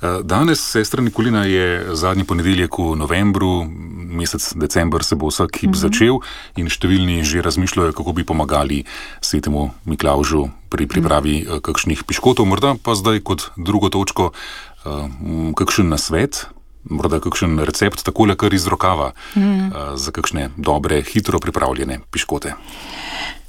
Danes, sestra Nikolina, je zadnji ponedeljek v novembru, mesec december se bo vsak hip začel in številni že razmišljajo, kako bi pomagali svetemu Miklavžu pri pripravi kakšnih piškotov. Morda pa zdaj kot drugo točko kakšen nasvet, morda kakšen recept, takole kar iz rokava za kakšne dobre, hitro pripravljene piškote.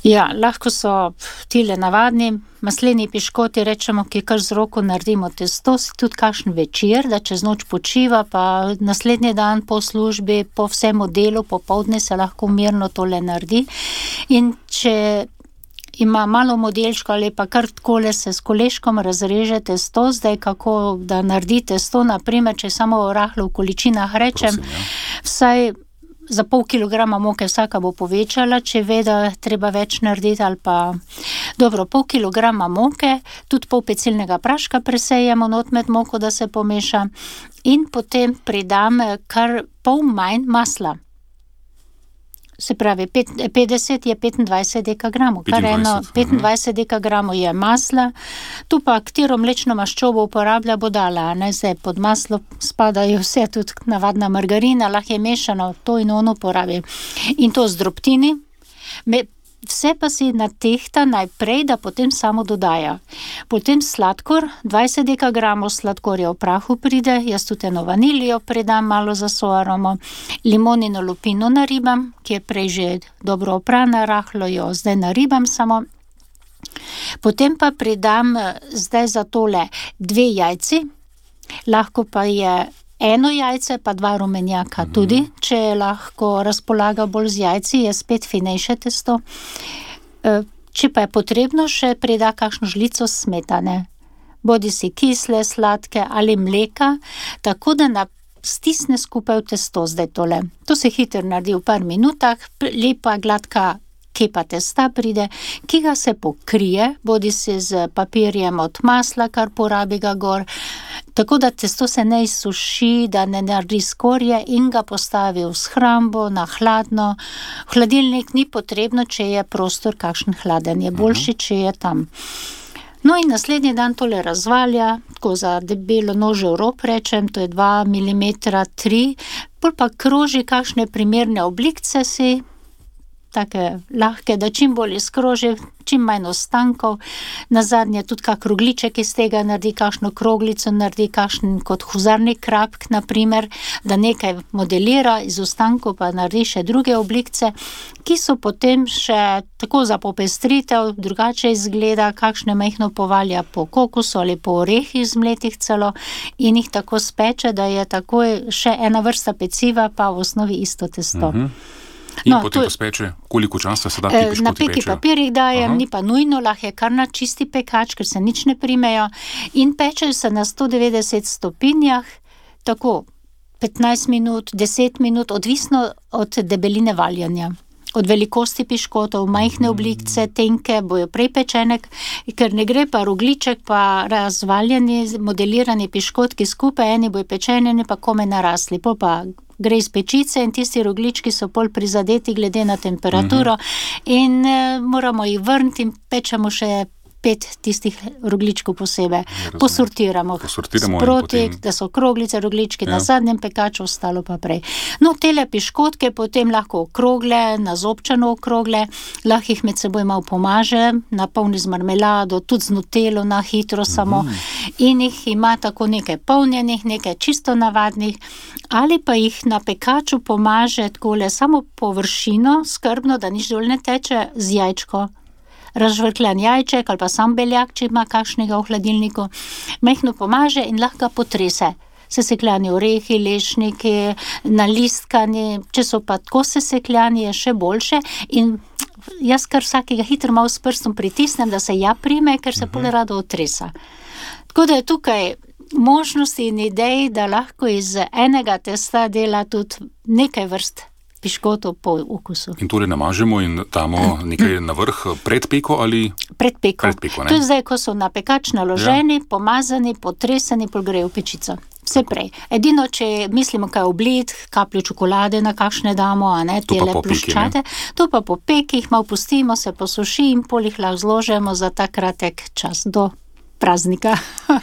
Ja, lahko so tile navadni masleni piškoti, rečemo, ki kar z roko naredimo testo, si tudi kakšen večer, da čez noč počiva, pa naslednji dan po službi, po vsem delu, popoldne se lahko mirno tole naredi. In če ima malo modelčko ali pa kar takole se s koleškom razreže testo, zdaj kako da naredi testo, naprimer, če samo rahlo v količinah rečem, vsaj za pol kilograma moke vsaka bo povečala, če ve, da treba več narediti ali pa... Dobro, pol kilograma moke, tudi pol pecilnega praška presejemo not med moko, da se pomeša in potem pridam kar pol manj masla. Se pravi, 50 je 25 dekagramov, kar eno 25 dekagramov je masla, tu pa katero mlečno maščobo uporablja bodala, ne, zdaj pod maslo spadajo vse, tudi navadna margarina, lahko je mešano, to in ono uporabi. In to z drobtini, vse pa si natehta najprej, da potem samo dodaja. Potem sladkor, 20 dekagramov sladkorja v prahu pride, jaz tudi eno vanilijo pridam malo za soaromo, limonino lupino naribam, ki je prej že dobro oprana, rahlo jo zdaj naribam samo. Potem pa pridam zdaj za tole 2 jajci, lahko pa je eno jajce, pa 2 rumenjaka tudi, če lahko razpolaga bolj z jajci, je spet finejše testo. Če pa je potrebno, še prida kakšno žlico smetane, bodi si kisle, sladke ali mleka, tako da stisne skupaj v testo zdaj tole. To se hitro naredi v par minutah, lepa, gladka kepa testa pride, ki ga se pokrije, bodi si z papirjem od masla, kar porabi ga gor, tako da testo se ne izsuši, da ne naredi skorje in ga postavi v shrambo, na hladno. V hladilnik ni potrebno, če je prostor kakšen hladen, je boljši, če je tam. No in naslednji dan tole razvalja, tako za debelo nožev rob rečem, to je 2 mm, 3, bolj pa kroži kakšne primerne oblikce si, take lahke, da čim bolj izkroži, čim manj ostankov, nazadnje tudi kak rogliček iz tega naredi, kakšno kroglico naredi, kakšen kot huzarni krapk, naprimer, da nekaj modelira iz ostankov, pa naredi še druge oblikce, ki so potem še tako za popestritev, drugače izgleda, kakšne majhno povalja po kokosu ali po orehih zmletih celo in jih tako speče, da je takoj še ena vrsta peciva, pa v osnovi isto testo. In potem to speče, koliko časa se da ti piškoti na peki pečejo? Papirjih dajem, ni pa nujno, lahko je kar na čisti pekač, ker se nič ne primejo in pečejo se na 190 stopinjah, tako 15 minut, 10 minut, odvisno od debeline valjanja. Od velikosti piškotov, majhne oblikce, tenke, bojo prej pečene, ker ne gre pa rogliček, pa razvaljeni, modelirani piškotki skupaj, eni bojo pečeni, eni pa kome narasli, pol pa gre iz pečice in tisti roglički so pol prizadeti glede na temperaturo in moramo jih vrniti in pečemo še 5 tistih rogličkov posebej. Posortiramo sproti, da so kroglice, roglički na zadnjem pekaču, ostalo pa prej. No, tele piškotke potem lahko okrogle, nazobčano okrogle, lahko jih med seboj malo pomaže, napolni z marmelado, tudi z nutelo na hitro samo in jih ima tako nekaj polnjenih, nekaj čisto navadnih, ali pa jih na pekaču pomaže takole samo površino, skrbno, da nič dol ne teče, z jajčko. Razžvrkljan jajček ali pa sam beljak, če ima kakšnega v hladilniku, mehno pomaže in lahko ga potrese. Sesekljani orehi, lešniki, nalistkani, če so pa tako sesekljani, je še boljše in jaz kar vsakega hitro malo s prstom pritisnem, da se ja prime, ker se pol rado otresa. Tako da je tukaj možnosti in idej, da lahko iz enega testa dela tudi nekaj vrst piškotov po okusu. In tole namažemo in damo nekaj na vrh pred peko ali? Pred peko. To je zdaj, ko so na pekač naloženi, pomazani, potreseni, pol grejo v pečico. Vse prej. Edino, če mislimo kaj oblit, kapljo čokolade na kakšne damo, a ne, tele ploščate, to pa po peki jih malo pustimo, se posuši in pol jih lahko zložemo za ta kratek čas do praznika.